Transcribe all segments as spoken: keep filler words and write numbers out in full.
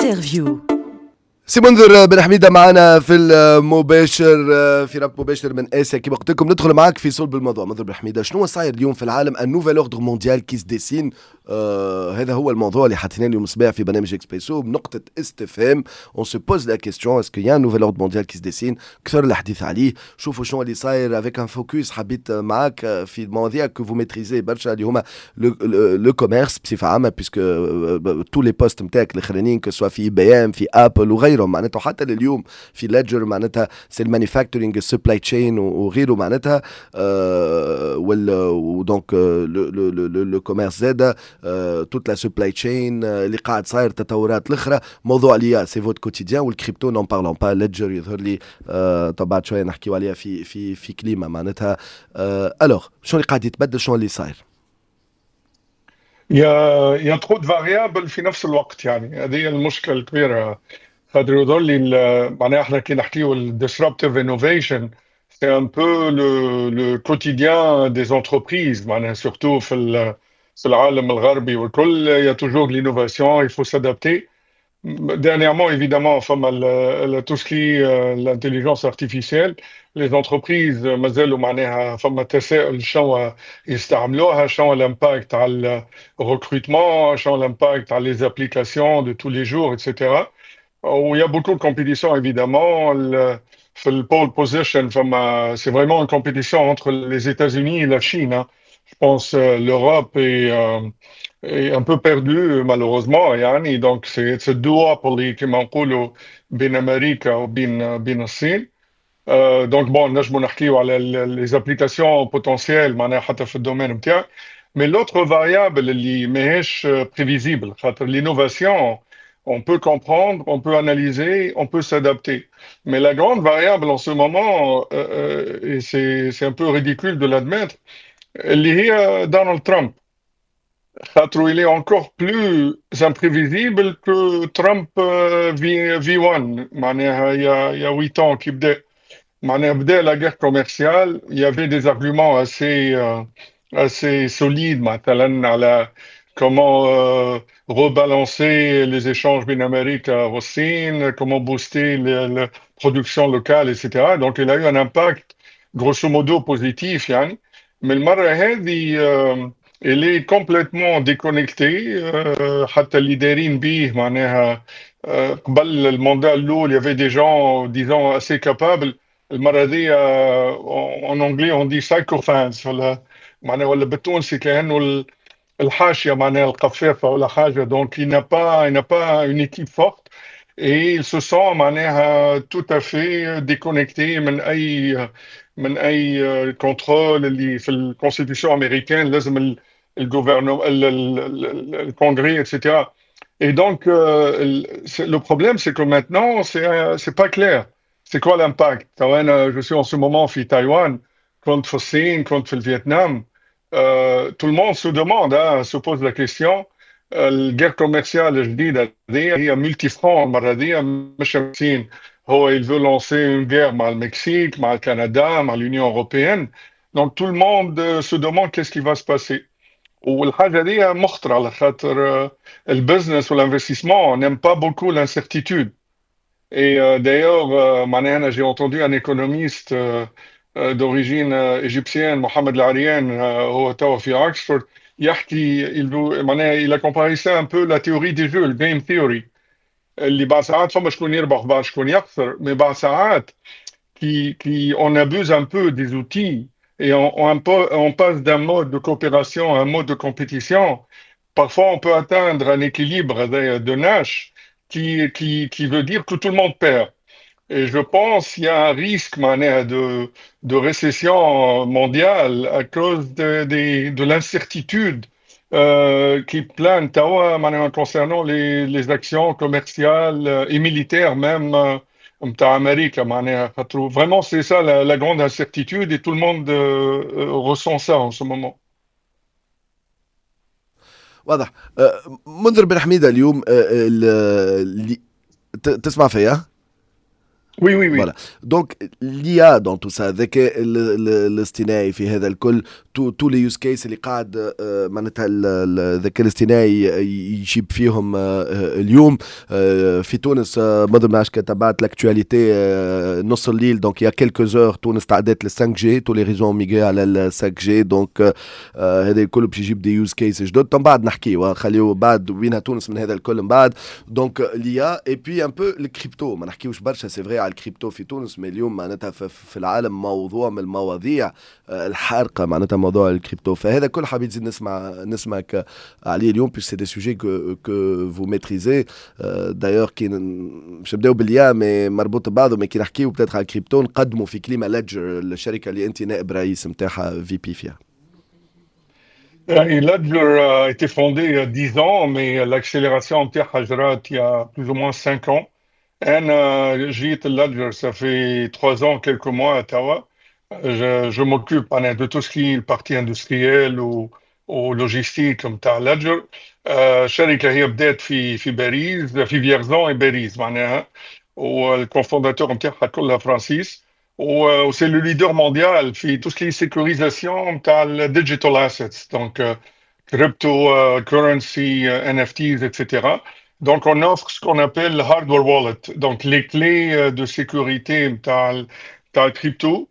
Interview. سي منذر بن حميده معنا في المباشر، في ربط مباشر من اسيا. كما قلت لكم ندخل معاك في صلب الموضوع. منذر بن حميده، شنو صاير اليوم في العالم؟ un nouvel ordre mondial qui se dessine، آه هذا هو الموضوع اللي حطيناه اليوم الصباح في برنامج اكسبريسو بنقطة استفهام. on se pose la question: est-ce qu'il y a un nouvel ordre mondial qui se dessine؟ كثر الحديث عليه. شوفوا شنو اللي صاير avec un focus حبيت معاك في مواضيع que vous maîtrisez برشا، اللي هما le commerce بصفة عامه، puisque tous les postes نتاعك الاخرانيين، que ce soit في IBM، في Apple وغيرهم، معناتها حتى لليوم في Ledger، معناتها c'est ال manufacturing، ال supply chain وغيره، معناتها آه وال donc le commerce زاده، toute la supply chain اللي قاعد صاير، التطورات الاخرى، موضوع l'IA c'est votre quotidien، وال crypto n'en parlons pas. Ledger يظهر لي آه طبعا شوية نحكيو عليها في في في كليمه معناتها. alors شنو اللي قاعد يتبدل؟ شنو اللي صاير؟ Il y a, il y a trop de variables في نفس الوقت، يعني هذه هي المشكلة الكبيرة، خاطر يظهر لي معناها احنا كي نحكيو ال disruptive innovation، c'est un peu le, le quotidien des entreprises، معناها surtout في في العالم الغربي والكل، il y a toujours de l'innovation، il faut s'adapter. Dernièrement, évidemment، فما tout ce qui est l'intelligence artificielle، les entreprises مازالوا معناها فما تساؤل شنو يستعملوها، شنو l'impact على ال recrutement، شنو l'impact على les applications de tous les jours، et cetera. Où il y a beaucoup de compétition évidemment. في ال pole position فما c'est vraiment une compétition entre les États-Unis et la Chine، hein. Je pense euh, l'Europe est, euh, est un peu perdue malheureusement، يعني donc c'est c'est duopoly كما نقولوا بين امريكا وبين بين الصين. donc bon، نجموا نحكيو على les applications potentielles معناها حتى في ال domaine نتاعك، mais l'autre variable اللي ماهيش prévisible، خاطر l'innovation on peut comprendre، on peut analyser، on peut s'adapter. Mais la grande variable en ce moment، euh, euh, et c'est c'est un peu ridicule de l'admettre، اللي هي دونالد ترامب، خاطر il est encore plus imprévisible que Trump V V1، معناها il y a, il y a huit ans كي بدا، معناها بدا la guerre commerciale، il y avait des arguments assez euh, assez solides، مثلا على comment euh, rebalancer les échanges بين أمريكا والصين، comment booster la production locale، et cetera. Donc il a eu un impact grosso modo positif يعني. Mais المرة هذه euh, il est complètement déconnecté، euh, حتى اللي دايرين بيه معناها euh, قبل ال mandat الأول il y avait des gens disons assez capables. المرة هذه en anglais on dit sycophants، ولا معناها ولا بالتونسي كأنه الحاشية، معناها القفافة ولا حاجة. donc il n'a pas il n'a pas une équipe forte et il se sent معناها tout à fait déconnecté من أي من أي contrôle اللي في ال constitution américaine لازم ال gouvernement، ال congrès، et cetera. Et donc, euh, le problème، c'est que maintenant، c'est c'est pas clair. C'est quoi l'impact؟ أنا je suis en ce moment في تايوان، كنت في الصين، كنت في الفيتنام. Euh, tout le monde se demande، hein، se pose la question. ال guerre commerciale الجديدة هذه هي multifront، المرة هذه مش الصين، هو il veut lancer une guerre مع المكسيك، مع الكندا، مع l'Union européenne. donc tout le monde se demande qu'est-ce qui va se passer. والحاجة دي مخطرة على خاطر ال business وال investissement n'aime pas beaucoup l'incertitude. Et euh, d'ailleurs، euh, معناها أنا j'ai entendu un économiste euh, euh, d'origine euh, égyptienne، محمد العريان، هو توا في أكسفورد، يحكي il veut- معناها il a comparé ça un peu la théorie des jeux، ال game theory، اللي بعد ساعات فما شكون يربح بعد شكون يخسر، mais بعد ساعات qui, qui on abuse un peu des outils et on, on, on passe d'un mode de coopération à un mode de compétition. Parfois, on peut atteindre un équilibre de, de Nash qui, qui, qui veut dire que tout le monde perd. Et je pense qu'il y a un risque معناها, de, de récession mondiale à cause de, de, de l'incertitude euh, qui plane توا معناها concernant les, les actions commerciales et militaires même euh, متاع أمريكا معناها، خاطر vraiment c'est ça la, la grande incertitude et tout le monde euh, euh, ressent ça en ce moment. واضح. آه، منذر بن حميده، اليوم آه، اللي تسمع فيا؟ Oui, oui, oui. Voilà. Donc l'I A dans tout ça, الذكاء الاصطناعي في هذا الكل، tous tous les use cases اللي قاعد آه، معناتها الذكاء الاصطناعي يجيب فيهم آه، اليوم آه، في تونس، ما نعرفش تبعت l'actualité، نص الليل، donc il y a quelques heures، تونس تعدت لل cinq G، tous les réseaux migrés على ال cinq G، donc هذا الكل باش يجيب des use cases جدد. من بعد نحكيو، خليو بعد وينها تونس من هذا الكل من بعد. donc l'I A et puis un peu ال crypto، ما نحكيوش برشا c'est vrai على الكريبتو في تونس، mais اليوم معناتها في العالم موضوع من المواضيع الحارقه معناتها موضوع الكريبتو. فهذا كل حبيت نزيد نسمع نسمعك عليه اليوم puisque c'est des sujets que que vous maîtrisez d'ailleurs. كي باش نبداو بال I A mais مربوط ببعضه، mais كي نحكيو peut-être على الكريبتو نقدموا في كلمه Ledger، الشركه اللي انت نائب رئيس نتاعها، V P فيها. Ledger a été fondée il y a dix ans, mais l'accélération نتاعها جرات il y a plus ou moins cinq ans. أنا جيت Ledger, ça fait trois ans, quelques mois توا. Je, je m'occupe de tout ce qui est partie industrielle ou, ou logistique نتاع Ledger. الشركة هي بدات في في باريس، في Vierzon باريس معناها، وال cofondateurs نتاعها كلها فرانسيس، و c'est le leader mondial في tout ce qui est sécurisation نتاع ال digital assets, donc crypto currency, N F Ts, et cetera. Donc, on offre ce qu'on appelle le hardware wallet, donc les clés de sécurité نتاع نتاع crypto.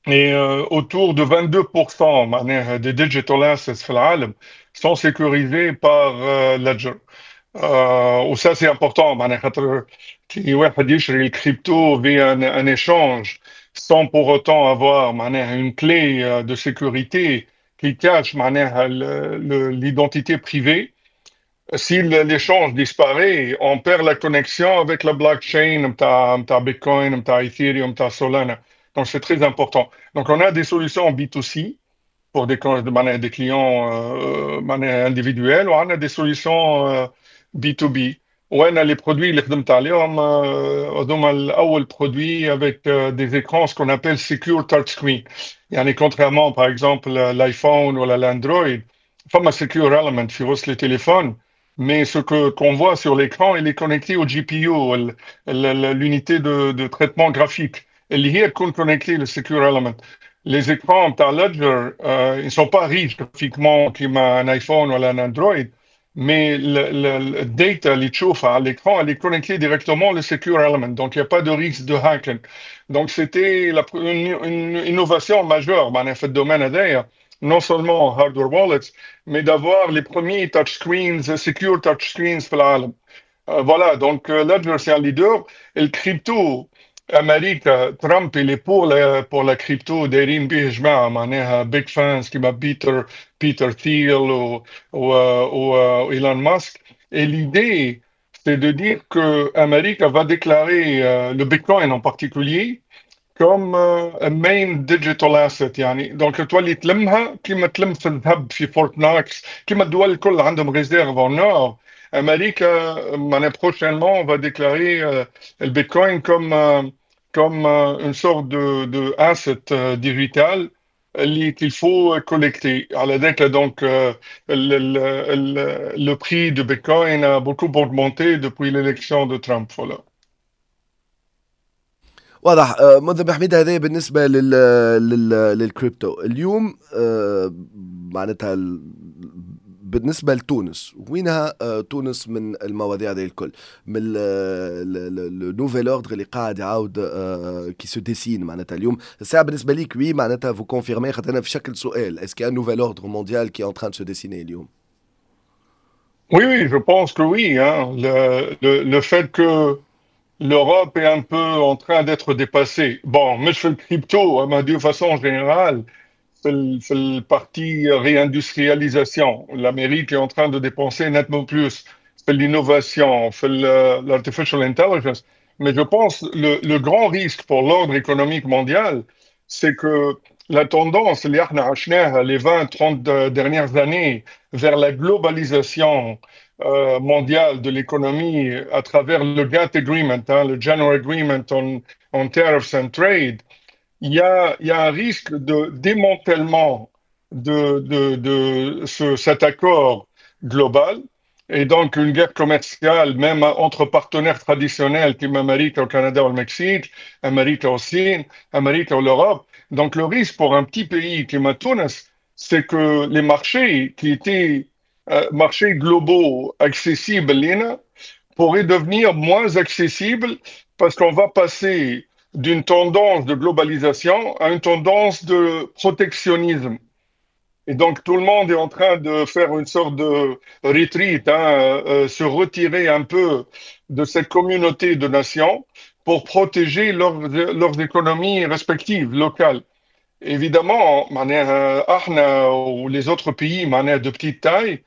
Et euh, autour de vingt-deux pour cent معناها des digital assets في العالم sont sécurisés par euh, Ledger. Euh, و ça c'est important معناها خاطر كي واحد يشري ال crypto via un, un échange sans pour autant avoir معناها une clé euh, de sécurité qui cache معناها l'identité privée, si l'échange disparaît, on perd la connexion avec la blockchain نتاع نتاع Bitcoin, نتاع Ethereum, نتاع Solana. Donc c'est très important. Donc on a des solutions B deux C pour des, معناها des clients euh, معناها individuels، وعندنا des solutions euh, B deux B. وأنا les produits اللي خدمت عليهم آه، هذوما الأول produit avec euh, des écrans, ce qu'on appelle secure touch screen. يعني contrairement par exemple l'iPhone ولا l'Android، فما secure element في وسط les téléphones, mais ce que qu'on voit sur l'écran, il est connecté au G P U, ال- ال- l'unité de, de traitement graphique اللي هي تكون connectée le secure element. Les écrans نتاع Ledger, euh, ils ne sont pas riches graphiquement كيما un iPhone ولا un Android, mais le, le, le data اللي تشوفها على l'écran, elle est connectée directement au secure element, donc il n'y a pas de risque de hacking. Donc c'était la, une, une innovation majeure معناها في ال domaine هذايا، non seulement hardware wallets, mais d'avoir les premiers touchscreens, secure touchscreens في العالم. Euh, voilà, donc euh, Ledger, c'est un leader. Et le crypto, أمريكا ترامب il est pour la, pour la crypto، دايرين به جماعة معناها big fans كيما Peter Peter Thiel و, و, و Elon Musk. Et l'idée, c'est de dire que أمريكا va déclarer euh, le Bitcoin en particulier comme euh, a main digital asset، يعني donc تولي تلمها كيما تلم في الذهب في Fort Knox، كيما الدول الكل عندهم réserve en or. أمريكا معناها prochainement on va déclarer euh, le Bitcoin comme euh, comme euh, une sorte de, de asset euh, digital اللي qu'il faut collecter. على ذاك donc euh, le, le, le, le prix du Bitcoin a beaucoup augmenté depuis l'élection de Trump. Voilà. واضح آه، منذر بن حميدة، هذا بالنسبة لل... لل... للكريبتو. اليوم آه، معناتها ال- بالنسبة لتونس، وينها آه، تونس من المواضيع هذه الكل، من le nouvel ordre اللي قاعد يعاود qui se dessine معناتها اليوم؟ الساعة بالنسبة ليك oui، معناتها vous confirmez، خاطر انا في شكل سؤال، est-ce qu'un nouvel ordre mondial qui est en train de se dessiner اليوم؟ Oui, oui, je pense que oui, hein. Le, le, le fait que l'Europe est un peu en train d'être dépassée. Bon, مش في ال crypto, أما de façon générale, في ال- في ال partie réindustrialisation. L'Amérique est en train de dépenser nettement plus في l'innovation, في ال- l'artificial intelligence. Mais je pense le, le grand risque pour l'ordre économique mondial, c'est que la tendance اللي احنا عشناها les vingt, trente dernières années vers la globalisation euh, mondiale de l'économie à travers le GATT Agreement, hein, le General Agreement on, on Tariffs and Trade, il y a, il y a un risque de démantèlement de, de, de ce, cet accord global. Et donc, une guerre commerciale, même entre partenaires traditionnels, كيما أمريكا والكندا والمكسيك, أمريكا والصين, أمريكا و l'Europe. Donc, le risque pour un petit pays كيما تونس, c'est que les marchés qui étaient euh, marchés globaux accessibles لينا, pourraient devenir moins accessibles parce qu'on va passer d'une tendance de globalisation à une tendance de protectionnisme. Et donc, tout le monde est en train de faire une sorte de retreat, hein, euh, se retirer un peu de cette communauté de nations pour protéger leurs, leurs économies respectives, locales. Évidemment, معناها احنا ou les autres pays معناها de petite taille,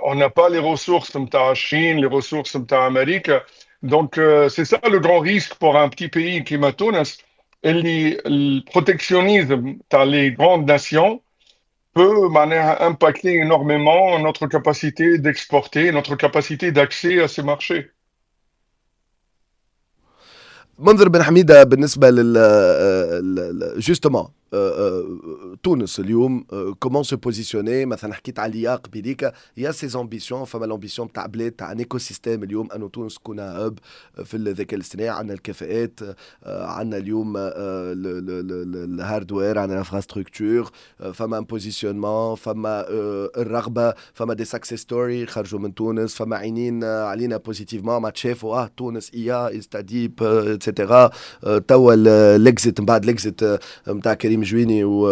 on n'a pas les ressources متاع Chine, les ressources متاع Amérique. Donc, euh, c'est ça le grand risque pour un petit pays كيما تونس. اللي le protectionnisme تاع les grandes nations peut معناها impacter énormément notre capacité d'exporter, notre capacité d'accès à ces marchés. منذر بن حميده، بالنسبه لل justement تونس اليوم, comment se positionner؟ مثلا حكيت على l'I A قبيليك, il y a ces ambitions, فما l'ambition تاع بلاد تاع un écosystème اليوم انه تونس تكون hub في الذكاء الاصطناعي. عندنا الكفاءات، عندنا اليوم ال hardware، عندنا l'infrastructure، فما un positionnement، فما الرغبه، فما des success stories خرجوا من تونس، فما عينين علينا positivement، ما تشافوا اه تونس I A, InstaDeep, et cetera. توا l'exit من بعد l'exit نتاع كريم جويني و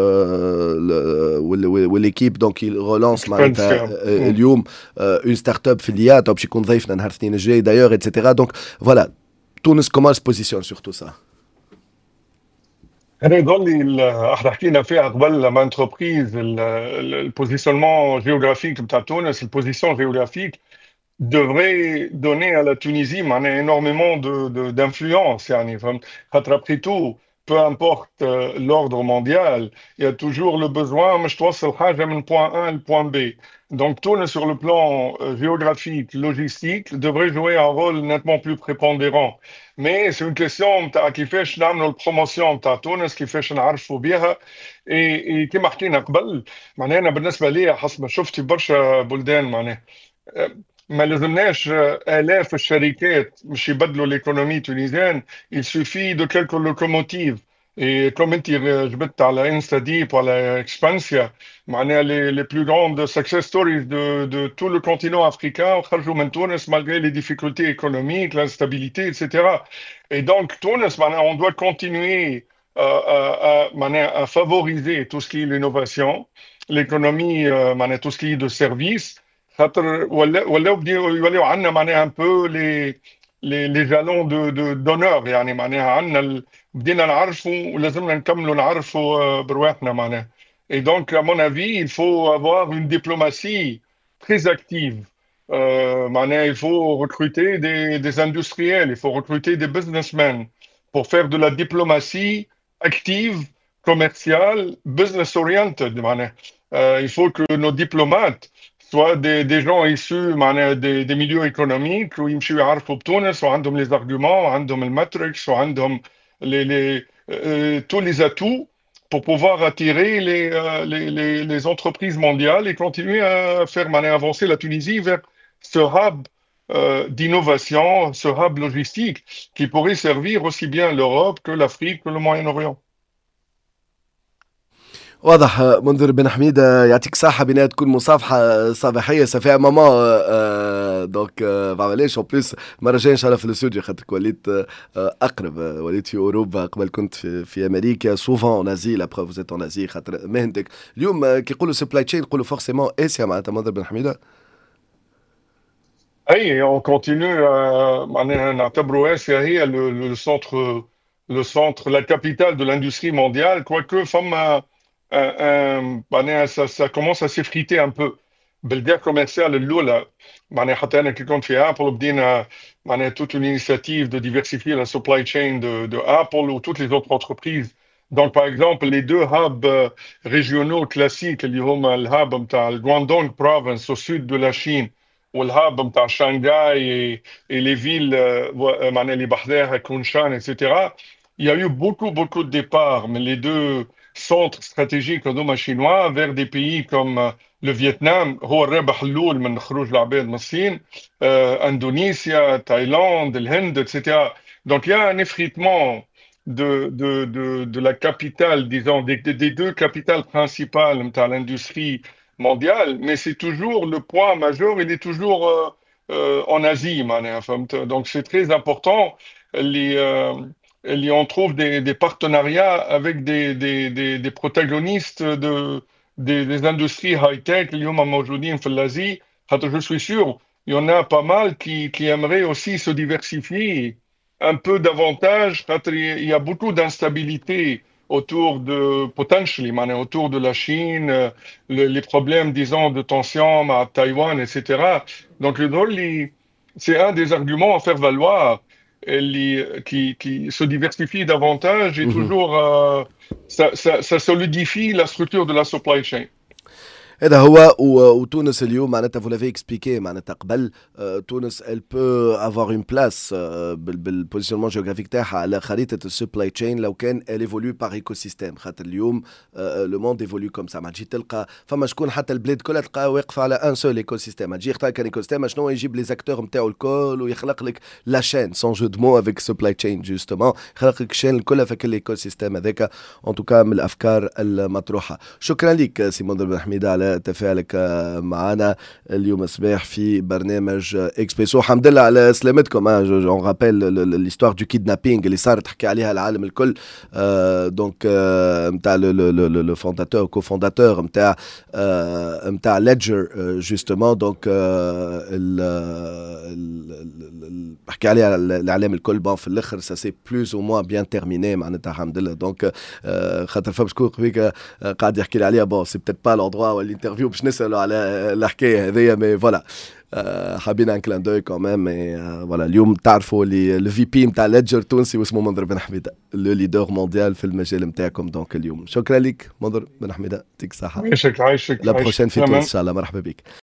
l'équipe, donc il relance معناتها اليوم une startup في l'I A، تو باش يكون ضيفنا نهار الاثنين الجاي d'ailleurs, et cetera. Donc voilà, تونس comment se positionne sur tout ça؟ انا يظل لي احنا حكينا فيها قبل لما entreprise, ال positionnement géographique نتاع تونس, ال position géographique devrait donner à la Tunisie معناها énormément de, de, d'influence يعني فهمت، خاطر après tout, peu importe euh, l'ordre mondial, il y a toujours le besoin باش توصل حاجة من point A ل point B. Donc تونس sur le plan euh, géographique, logistique, devrait jouer un rôle nettement plus prépondérant. Mais c'est une question نتاع كيفاش نعملوا ال promotion نتاع تونس، كيفاش نعرفوا بها. et كما حكينا قبل، معناها انا بالنسبه لي حسب ما شفت في برشا بلدان، معناها ما لازمناش آلاف الشركات مش يبدلوا l'économie tunisienne, il suffit de quelques locomotives. Et comme انت جبت على InstaDeep وعلى Expensya، معناها les, les plus grandes success stories de, de tout le continent africain خرجوا من تونس malgré les difficultés économiques, l'instabilité, et cetera. Et donc تونس معناها on doit continuer à, à, à, معناها à favoriser tout ce qui est l'innovation, l'économie, euh, معناها tout ce qui est de service، خاطر ولا ولاو يوليو عندنا معناها un peu les les les jalons de de d'honneur، يعني معناها عندنا بدينا نعرفوا ولازمنا نكملوا نعرفوا برواحنا معناها. Et donc, à mon avis, il faut avoir une diplomatie très active. Euh, معناها il faut recruter des, des industriels, il faut recruter des businessmen pour faire de la diplomatie active, commerciale, business oriented. معناها Euh, il faut que nos diplomates soient des, des gens issus معناها des, des milieux économiques ويمشيوا يعرفوا بتونس وعندهم les arguments وعندهم ال matrix وعندهم les, les, euh, tous les atouts pour pouvoir attirer les, euh, les, les, les entreprises mondiales et continuer à faire معناها avancer la Tunisie vers ce hub euh, d'innovation, ce hub logistique qui pourrait servir aussi bien l'Europe que l'Afrique, que le Moyen-Orient. واضح منذر بن حميدة، يعطيك صحة، بنا تكون مصافحة صباحية, ça fait un moment, donc معليش, en plus المرة الجاية ان شاء الله في الاستوديو، خاطرك وليت اقرب، وليت في اوروبا، قبل كنت في, في امريكا, souvent en Asie, la preuve, vous êtes en Asie خاطر مهنتك. اليوم كي يقولوا supply chain يقولوا forcément اسيا، معناتها منذر بن حميدة؟ اي, on continue. معناها نعتبروا اسيا هي le centre le centre, la capitale de l'industrie mondiale, quoique فما معناها ça, ça commence à s'effriter un peu. بال guerre commerciale الاولى، معناها حتى انا كي كنت في Apple بدينا معناها toute une initiative de diversifier la supply chain de, de Apple ou toutes les autres entreprises. Donc, par exemple, les deux hubs régionaux classiques, اللي هما ال hub نتاع ال Guangdong province au sud de la Chine وال hub نتاع Shanghai et, et les villes معناها اللي بحذاها Kunshan, et cetera. Il y a eu beaucoup, beaucoup de départs, mais les deux centres stratégiques هذوما chinois vers des pays comme le Vietnam هو الرابح الاول من خروج العباد من الصين، آه، اندونيسيا، تايلاند، الهند، et cetera. Donc il y a un effritement de, de, de, de la capitale, disons, des, des deux capitales principales de l'industrie mondiale, mais c'est toujours le poids majeur, il est toujours euh, euh, en Asie معناها، فهمت؟ Donc c'est très important اللي euh, اللي on trouve des, des partenariats avec des, des, des, des protagonistes de, des, des industries high-tech اللي هما موجودين في l'Asie. خاطر je suis sûr, il y en a pas mal qui, qui aimeraient aussi se diversifier un peu davantage. خاطر il y a beaucoup d'instabilité autour de, potentially, معناها autour de la Chine, euh, le- les problèmes, disons, de tension à Taïwan, et cetera. Donc, le c'est un des arguments à faire valoir اللي, qui, qui se diversifie davantage et مهم. toujours, euh, ça, ça, ça solidifie la structure de la supply chain. هذا هو. وتونس اليوم معناتها vous l'avez expliqué معناتها قبل، آه، تونس elle peut avoir une place بال positionnement géographique تاعها على خريطه ال supply chain لو كان elle évolue par écosystème، خاطر اليوم le monde évolue comme ça. ما تجي تلقى فما شكون حتى البلاد كلها تلقى واقفه على un seul écosystème، تجي يختار كان écosystème شنو يجيب les acteurs نتاعو الكل ويخلق لك la chaîne، sans jeu de mots avec supply chain justement، يخلق لك chaîne الكل في كل écosystème هذاك. en tout cas من الافكار المطروحه. شكرا لك سي منذر بن حميده على تفاعلك معنا اليوم الصباح في برنامج اكسبريسو. الحمد لله على سلامتكم. on rappelle l'histoire du kidnapping اللي صارت تحكي عليها العالم الكل، donc نتاع le fondateur، cofondateur نتاع نتاع Ledger justement. donc حكي عليها الاعلام الكل. bon، في الاخر ça s'est plus ou moins bien terminé معناتها، الحمد لله. donc خاطر فما شكون قبيك قاعد يحكي لي عليها. bon، c'est peut-être pas l'endroit ولا l'interview باش نسالوا على الحكايه هذيا، mais voilà، حابين un clin d'œil quand même. voilà، اليوم تعرفوا اللي ال V P نتاع Ledger تونسي واسمه منذر بن حميده، le leader mondial في المجال نتاعكم. donc اليوم شكرا لك منذر بن حميده، يعطيك الصحه. عايشك عايشك. la prochaine في تونس ان شاء الله، مرحبا بك.